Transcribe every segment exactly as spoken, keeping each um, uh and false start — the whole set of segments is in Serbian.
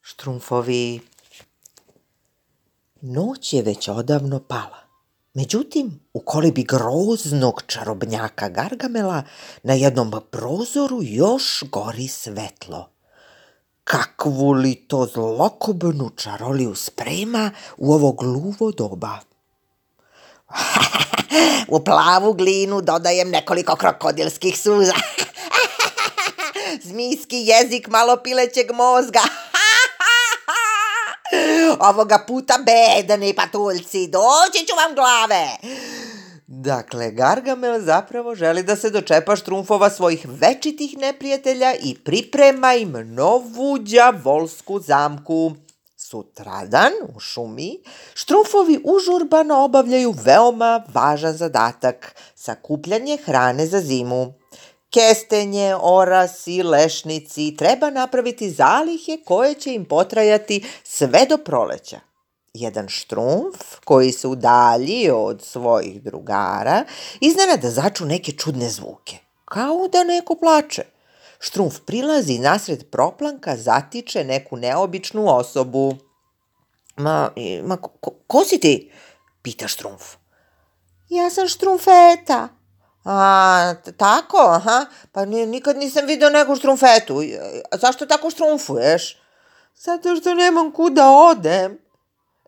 Štrumfovi. Noć je već odavno pala. Međutim, u kolibi groznog čarobnjaka Gargamela na jednom prozoru još gori svetlo. Kakvu li to zlokobnu čaroliju sprema u ovo gluvo doba? U plavu glinu dodajem nekoliko krokodilskih suza. Zmijski jezik malo pilećeg mozga. Ovoga puta bedani patuljci, doći ću vam glave. Dakle, Gargamel zapravo želi da se dočepa štrumfova svojih večitih neprijatelja i priprema im novu đavolsku zamku. Sutradan u šumi štrumfovi užurbano obavljaju veoma važan zadatak, sakupljanje hrane za zimu. Kestenje, orasi, lešnici, treba napraviti zalihe koje će im potrajati sve do proleća. Jedan štrumf koji se udalji od svojih drugara iznenada začu neke čudne zvuke, kao da neko plače. Štrumf prilazi nasred proplanka, zatiče neku neobičnu osobu. Ma, ma ko, ko si ti? Pita štrumf. Ja sam Štrumfeta. A, tako, aha, pa nikad nisam vidio neku štrumfetu. A zašto tako štrumfuješ? Zato što nemam kuda odem.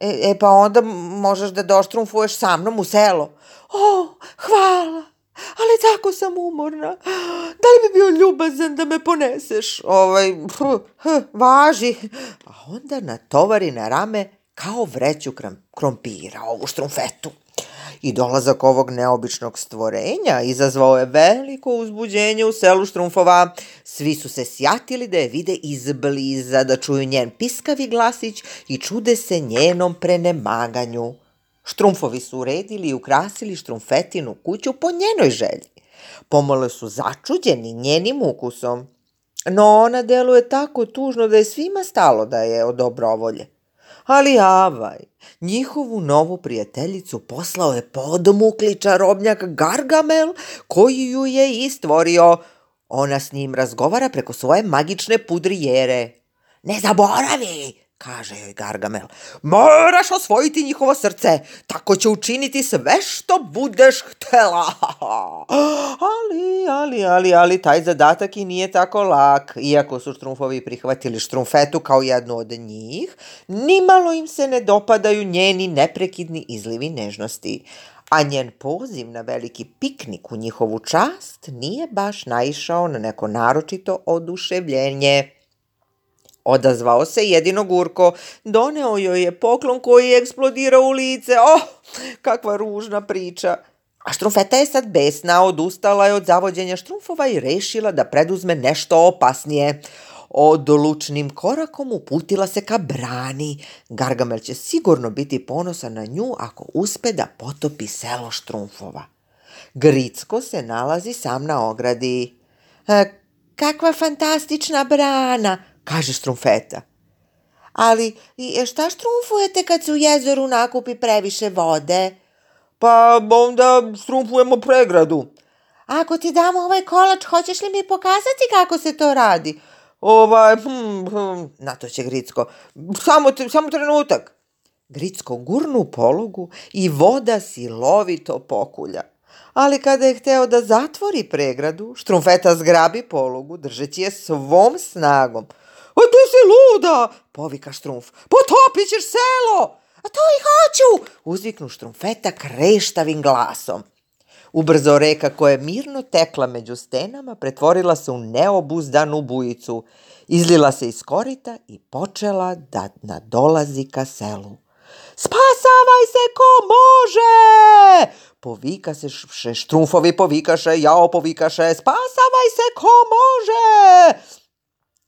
E, e pa onda možeš da doštrumfuješ sa mnom u selo. O, hvala, ali tako sam umorna. Da li bi bio ljubazan da me poneseš? Ovaj, huh, huh, važi. A onda natovari na rame kao vreću krompira ovu štrumfetu. I dolazak ovog neobičnog stvorenja izazvao je veliko uzbuđenje u selu štrumfova. Svi su se sjatili da je vide izbliza, da čuju njen piskavi glasić i čude se njenom prenemaganju. Štrumfovi su uredili i ukrasili štrumfetinu kuću po njenoj želji. Pomalo su začuđeni njenim ukusom. No ona deluje tako tužno da je svima stalo da je od dobrovolje. Ali avaj, njihovu novu prijateljicu poslao je podmukli čarobnjak Gargamel, koji ju je i stvorio. Ona s njim razgovara preko svoje magične pudrijere. Ne zaboravi, kaže joj Gargamel, moraš osvojiti njihovo srce, tako će učiniti sve što budeš htela. Ali, ali, ali, ali, taj zadatak i nije tako lak. Iako su štrumfovi prihvatili štrumfetu kao jednu od njih, nimalo im se ne dopadaju njeni neprekidni izlivi nežnosti. A njen poziv na veliki piknik u njihovu čast nije baš naišao na neko naročito oduševljenje. Odazvao se jedino Gurko, doneo joj je poklon koji je eksplodirao u lice. Oh, kakva ružna priča. A štrumfeta je sad besna, odustala je od zavođenja štrumfova i rešila da preduzme nešto opasnije. Odlučnim korakom uputila se ka brani. Gargamel će sigurno biti ponosan na nju ako uspe da potopi selo štrumfova. Gricko se nalazi sam na ogradi. E, kakva fantastična brana, kaže štrumfeta. Ali šta štrumfujete kad se u jezeru nakupi previše vode? Pa onda štrumfujemo pregradu. Ako ti damo ovaj kolač, hoćeš li mi pokazati kako se to radi? Ovaj, hm, hm, na to će Gricko. Samo, samo trenutak. Gricko gurnu polugu i voda silovito pokulja. Ali kada je hteo da zatvori pregradu, štrumfeta zgrabi polugu, držeći je svom snagom. A ti si luda, povika štrumf, potopit ćeš selo. A to i hoću, uzviknu štrumfeta kreštavim glasom. Ubrzo reka koja je mirno tekla među stenama pretvorila se u neobuzdanu bujicu, izlila se iz korita i počela da nadolazi ka selu. Spasavaj se ko može! Povika se štrumfovi, povikaše, jao povikaše, spasavaj se ko može!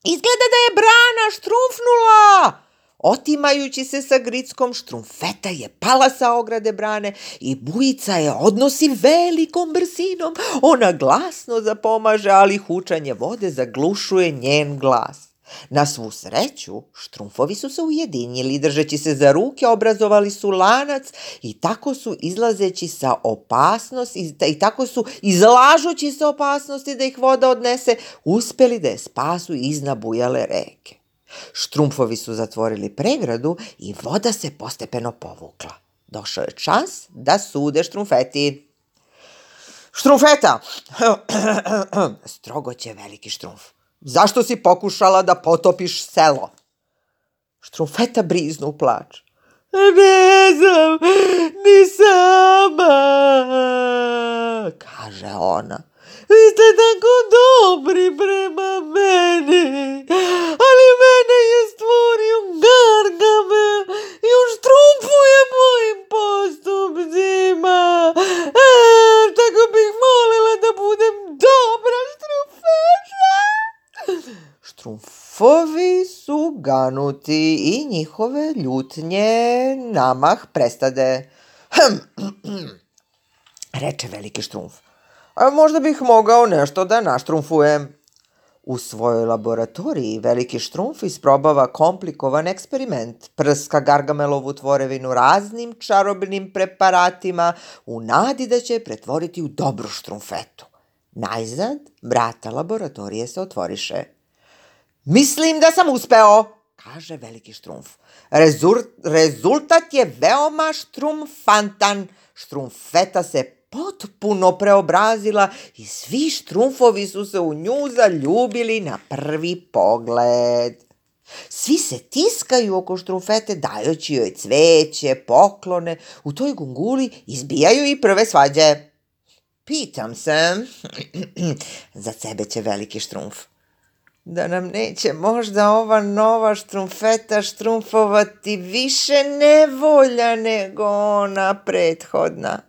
Izgleda da je brana štrumfnula! Otimajući se sa Grickom, štrumfeta je pala sa ograde brane i bujica je odnosi velikom brzinom. Ona glasno zapomaže, ali hučanje vode zaglušuje njen glas. Na svu sreću, štrumfovi su se ujedinili, držeći se za ruke, obrazovali su lanac i tako su izlazeći sa opasnosti, i tako su izlažući se opasnosti da ih voda odnese, uspeli da je spasu iznad bujale reke. Štrumfovi su zatvorili pregradu i voda se postepeno povukla. Došao je čas da sude štrumfeti. Štrumfeta, strogo će veliki štrumf. Zašto si pokušala da potopiš selo? Štrumfeta briznu u plač. Ne znam, ni sama, kaže ona. Vi ste tako dobri prema meni, ali mene je stvorio Gargamel i on štrumfuje mojim postupcima. E, tako bih molila da budem dobra štrumfeta. Štrumfovi su ganuti i njihove ljutnje namah prestade. Reče veliki štrumf. A možda bih mogao nešto da naštrumfujem. U svojoj laboratoriji veliki štrumf isprobava komplikovan eksperiment. Prska Gargamelovu tvorevinu raznim čarobnim preparatima u nadi da će je pretvoriti u dobru štrumfetu. Najzad, vrata laboratorije se otvoriše. Mislim da sam uspeo, kaže veliki štrumf. Rezur, rezultat je veoma štrumfantan. Štrumfeta se potpuno preobrazila i svi štrumfovi su se u nju zaljubili na prvi pogled. Svi se tiskaju oko štrumfete dajući joj cveće, poklone, u toj gunguli izbijaju i prve svađe. Pitam se, za sebe će veliki štrumf, da nam neće možda ova nova štrumfeta štrumfovati više nevolja nego ona prethodna.